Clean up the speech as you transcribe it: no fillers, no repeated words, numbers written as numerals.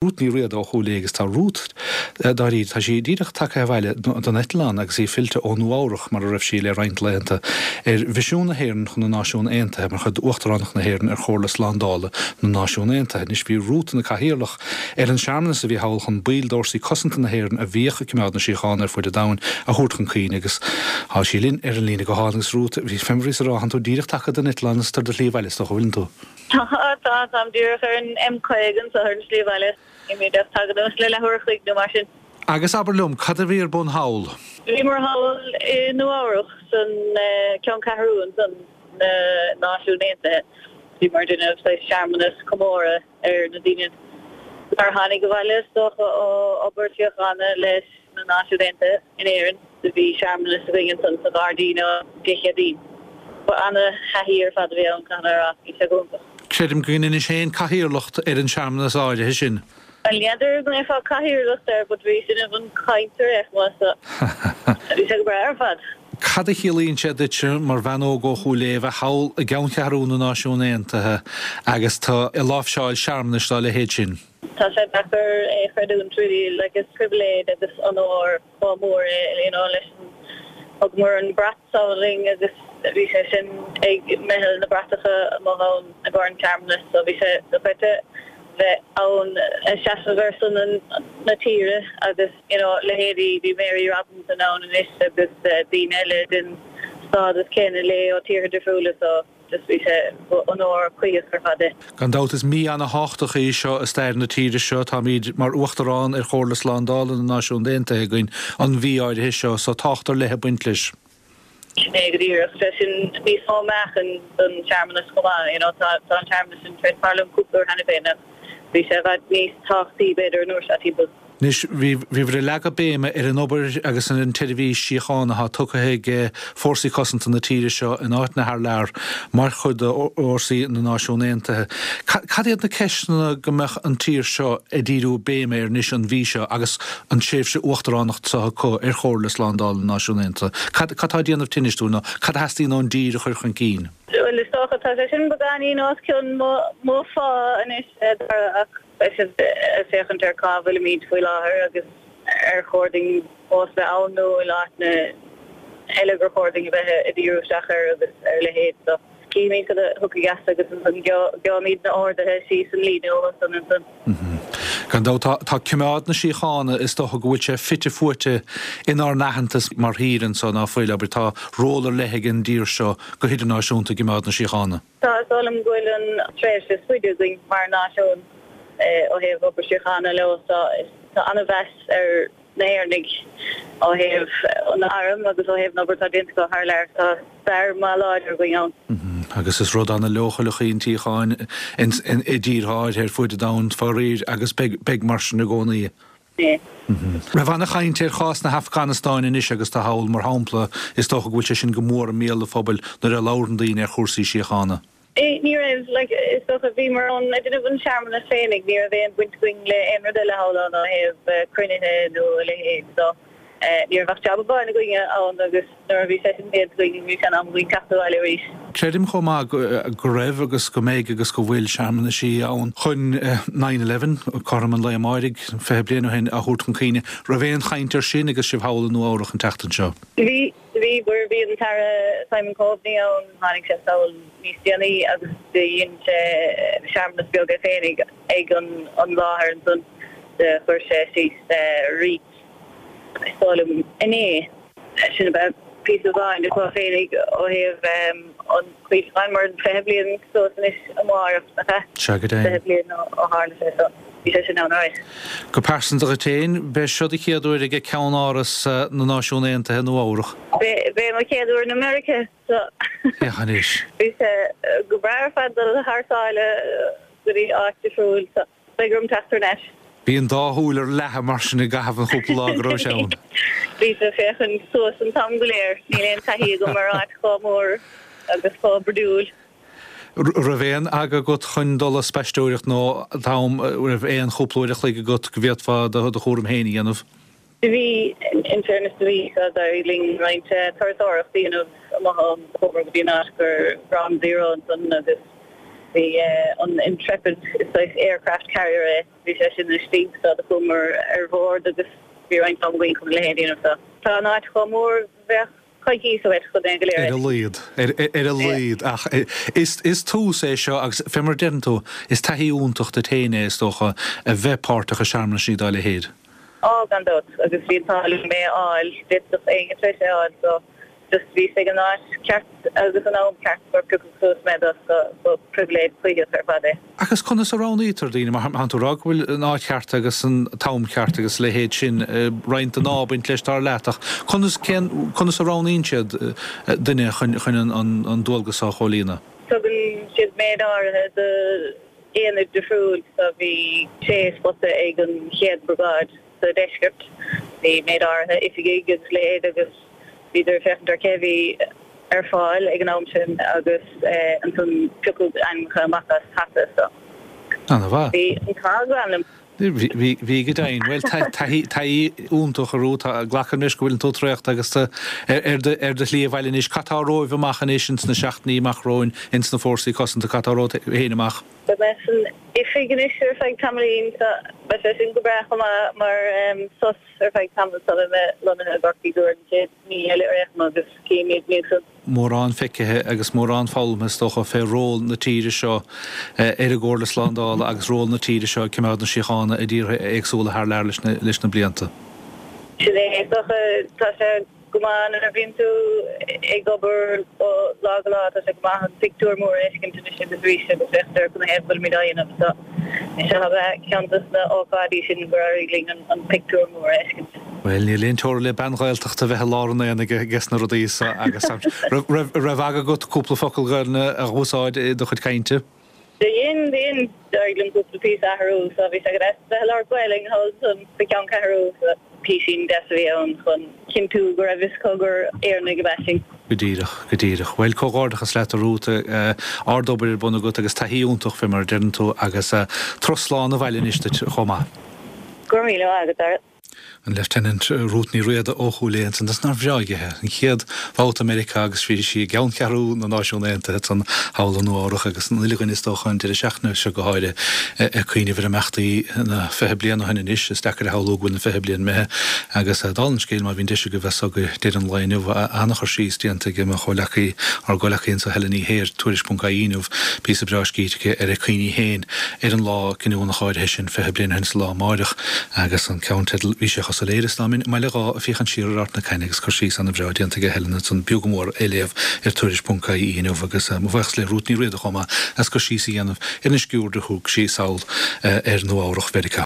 Rút Ní Riada ó Chúil Aodha agus tá Rút dáiríre, tá sí díreach tagtha abhaile don eitleán agus í fillte ó Nua Eabhrach mar a raibh sí le roinnt laethanta ar mhisiún na hÉireann chun na Náisiún Aontaithe mar chuid d'Uachtaránacht na hÉireann ar Chomhairle Slándála na Náisiún Aontaithe. Anois bhí Rút ina cathaoirleach ar an searmanas a bhí thall chun baill d'fhórsaí cosanta na hÉireann a bhíodh ag coimeád na síochána ar fuid an domhain a thabhairt chun cuimhne agus tá sí linn ar an líne gutháin agus Rút, fé mar a bhíos a rá, tánn tú díreach tagtha den eitleán agus tú ar do shlí abhaile is dócha, bhfuileann tú? Tá, tá, táim díreach ar an M50 anseo ar an slí abhaile. Bhí mé díreach tagtha anuas le leathuair a chloig nó mar sin. Agus abair liom, cad a bhí ar bun thall? Bhíomar thall i Nua Eabhrach san ceanncheathrú ansan na Náisiún Aontaithe. Bhíomar ag déanamh saghas searmanas comóradh ar na daoine nár tháinig abhaile is dócha ó obair síochána leis na Náisiún Aontaithe in Éirinn. Do bhí searmanas againn ansan sa ghairdín Dé Céadaoin. Ba ana-thaithí ar fad a bhí ann, caithfidh mé a rá. Bhí sé go hiontach. Creidim go ndeinis féin cathaoirleacht ar an searmanas áirithe sin. Bhuel, n'fheadar go ndéarfá cathaoirleacht air but bhíos ag déanamh an chaint ar aon chuma so bhí sé go breá ar fad. Cad a chiallaíonn sé duitse mar bhean óg ó Chúil Aodha bheith thall i gceanncheathrú na Náisiún Aontaithe agus tú ag láimhseáil searmanais dá leithéid sin? Tá sé deacair é a chreidiúint really, like is pribhléid agus onóir chomh mór é you know leis an, thugamar an brat s'againn agus bhí sé sin ag meitheal na bratacha amuigh ann i gcomhair an tsearmanais so bhí sé dochreidte bheith ann ag seasamh ar son na tíre agus you know leithéidí bhí Mary Robinson ann anois agus daoine eile den stádas céanna léi ó tíortha difriúla so Just bhí sé, ba onóir cuíosach ar fad é. Gan dabht is mí ana-thábhachtach í seo i stair na tíre seo. Táimid mar Uachtarán ar Chomhairle Slándála na Náisiún Aontaithe againn an mhí áirithe seo so tábhacht ar leith ag baint leis. Sin é go díreach. Sé sin níos mó meáchain don searmanas chomh maith. You know tá tá an searmanas sin tar éis tarlú cúpla uair cheana féin ach bhí sé i bhfad níos tábhachtaí b'fhéidir an uair seo timpeall. Anois, bhíobhair ag leagadh béime ar an obair agus ar an tseirbhís síochána atá tugtha ag fórsaí cosanta na tíre seo in áiteanna thar lear mar chuid d'fhórsaí na Náisiún Aontaithe. Cad iad na ceisteanna go mbeadh an tír seo ag díriú béime air anois an mhí seo agus an tréimhse uachtaránacht seo acu ar Chomhairle Slándála na Náisiún Aontaithe? Cad atá ag déanamh tinnis dúinn nó cad a theastaíonn ón dtír a chur chun cinn? Bhuel, is dócha, tá sé sin beagáinín os cionn mo phá anois, a Dhara, ach. Beidh siad ag féachaint ar cá bhfuilimid faoi láthair agus ar chóir dúinn fós bheith ann nó an bhfuil áiteanna eile gur chóir dúinn a bheith ag díriú isteach air agus ar a leithéid. So cífimid cad a thiocfaidh as agus ansan gheobhaimid na orduithe síos an líne uathu san ansan. Gan dabht tá coimeád na síochána, is dócha go bhfuil sé fite fuaite inár n-aitheantas mar thír anso, ná fuil, abair, tá ról ar leith ag an dtír seo go hidirnáisiúnta i gcoimeád na síochána. Tá, is dóigh liom go bhfuil an tréimhse is faide againn mar náisiún ó thaobh obair síochána leo. Tá an-mheas ar na hÉireannaigh ó thaobh an airm agus ó thaobh an obair atá déanta acu thar lear. Tá stair maith láidir againn ann. Agus is rud an-leochaileach í an tsíocháin i dtíortha áirithe ar fuaid an domhain, faraor, agus beidh mar sin i gcónaí. Raibh ana-chaint ar chás na hAfganastáine anois agus tú thall, mar shampla, is dócha go bhfuil sé sin go mór i mbéal an phobail nuair a labhrann daoine ar chúrsaí síochána. Ní raibh, like, is dócha, bhíomar ann ag déanamh an searmanas féinig, ní raibh aon bhaint againn le aon rud eile thall ann ó thaobh cruinnithe nó a leithéid, so. Ní raibh ach jab amháin againne ann agus nuair a bhí sé sin déanta againn bhí sé in am againn teacht abhaile arís. Creidim chomh maith go raibh agus go mbeidh agus go bhfuil searmanaisí ann chun nine eleven, cothrom an lae amáirigh, 20 bliain ó shin, a thabhairt chun cuimhne. Raibh aon chaint air sin agus sibh thall i Nua Eabhrach an tseachtain seo? Bhí, bhí, bhí an tAire Simon Coveney ann, tháinig sé sall níos déanaí agus do dhein sé searmanas beag é féinig ag an láthair ansan, do chuir sé síos rít. Is dóigh liom inné, sin ab ea píosa amháin acu féinig ó thaobh an chuimhneacháin mar 20 bliain suas anois amárach, nach ea? Sea, go deimhin. 20 bliain ó tharla sé so bhí sé sin ann alright. Go pearsanta dhuit féin, b'é seo do chéad uair ag ceann-áras na Náisiún Aontaithe i Nua Eabhrach. B'é mo chéad uair in America so Féach anois. bhí sé go breá ar fad dul thar sáile go dtí áit difriúil so. Beidh orm teacht thar n-ais. Bhí an dá shúil ar leathadh mar sin i gcaitheamh an chúpla lá go raibh sé ann. Bhíos ag féachaint suas an t-am go léir. Níl aon taithí agam ar áit chomh mór agus chomh brúidiúil. Raibh aon aga agat chun dul ag spaisteoireacht nó t-am, raibh aon chúpla uair a chloig agat go bhféadfá do chúram féin a dhéanamh? Do bhí, in fairness do bhí, so d'éirigh linn roinnt turasóireacht a dhéanamh amuigh ann. Chuamar go dtí an áit gur Ground Zero ansan agus. Bhí an Intrepid, is saghas aircraft carrier é, bhí sé sin istigh so do chuamar ar bhord agus bhí roinnt am againn chun a leithéid a dhéanamh so tá an áit chomh mór bheadh coicís uait chun é go léir a Ar a laghad, ar a laghad ach is tús é seo agus fé mar a deireann tú, is taithí iontach duit féin é is dócha a bheith páirteach i searmanaisí dá leithéid. Á, gan dabht, agus bhí an t-ádh liom é a fháil, d'fhéadfadh éinne tar éis é a fháil so Just bhíos ag an áit ceart agus an am ceart gur piocadh suas mé do so ba pribhléid choimhthíoch ar fad é. Agus conas a roghnaítear daoine? Mar tánn tú ag rá go bhfuil an áit cheart agus an t-am ceart agus a leithéid sin, roinnt den ádh ag baint leis dar leat, ach conas, cén, conas a roghnaíonn siad duine chun, chun an, an dualgas seo a chomhlíonadh? Tugann siad méid áirithe do aonaid difriúil so bhí sé spota ag an chéad briogáid. sa deisceart. Bhí méid áirithe oifigigh agus leithéid agus bhíodar ag féachaint ar cé a bhí ar fáil ag an am sin agus ansan piocadh ainmneacha amach as hata so Ana-mhaith. bhí an t-ádh glan liom. Bhí, bhí, bhí go deimhin. Bhuel, taithí, taithí iontach a Ruth. Tá, glacaim leis go bhfuileann tú traochta agus tú ar, ar do, ar do shlí abhaile anois. Cad tá romhaibh amach anois ins na seachtainí amach romhainn ins na Fórsaí Cosanta? Cad tá romhat féin amach? Beidh mé san oifig anois ar feadh tamaillín so beidh sé sin go breá chomh maith mar sos ar feadh tamaill sula mbeidh mé lonnaithe i gCorcaigh don chéad mhí eile ar aon chuma agus cífimid ansan. Mórán feicthe agus mórán foghlamtha is dócha fé ról na tíre seo ar an gComhairle Slándála agus ról na tíre seo ag coimeád na síochána i dtíortha éagsúla thar lear leis na blianta. Sin é is dócha. Tá sé. Go maith nuair a bhíonn tú ag obair ó lá go lá, tá sé go maith an pictiúr mór a fheiscint anois agus arís agus féachaint ar canathaobh go bhfuilimid á dhéanamh. So, seo ab ea ceann dos na ócáidí sin gur éirigh linn an pictiúr mór a fheiscint. Bhuel, níl aon teora le bean Ghaeltachta a bheith i lár an aonaigh ages na rudaí so agus raibh raibh aga agat cúpla focal Gaelainne a dh'úsáid i do chuid cainte? Do dhein, dhein. D'éirigh liom cúpla píosa a athrú so bhí sé go deas bheith ag labhairt Gaelainn thall ansan sa cheanncheathrú so píosín deas a bhí ann chun cinntiú go raibh fhios acu gur Éireannaigh ab ea sinn. Go díreach, go díreach. Bhuel, comhghairdeachas leat a Ruth, ard-obair ar bun agat agus taithí iontach fé mar a deireann tú agus turas slán abhaile anois duit chomh maith. Go raibh míle maith agat, Dara. An Lieutenant Ruth Ní Riada ó Chúil Aodha ansan. Is nár bhreá díthe. An chéad bhabhta i Meiriceá agus bhí sí i gceanncheathrú na Náisiún Aontaithe ansan thall i Nua Eabhrach agus an uile dhuine is dócha an deireadh seachtaine seo go háirithe ag cuimhneamh ar imeachtaí na 20 bliain ó shin anois. Is deacair a shamhlú go bhfuil na 20 bliain imithe agus dála an scéil má bhíonn deis agaibh anso go deireadh an lae inniu an-chur síos déanta ag mo chomhleacaí, ár gcomhleacaí anso Helen Ní Shé ar Tuairisc.ie inniu, píosa breá scríte aici ar a cuimhní féin ar an lá cinniúnach áirithe sin 20 bliain ó shin sa lá amáireach. Agus an ceannteideal, bhí sé chomh soiléir is dá mbeinn i mBaile Dháith ag féachaint siar ar Ard na Caithne agus cur síos ana-bhreá déanta aige Helen ansan, b'fhiú go mór é léamh ar Tuairisc.ie inniu agus mo bhuíochas le Ruth Ní Riada chomh maith as cur síos a dhéanamh ar an sciuird a thug sí sall ar Nua Eabhrach Mheiriceá.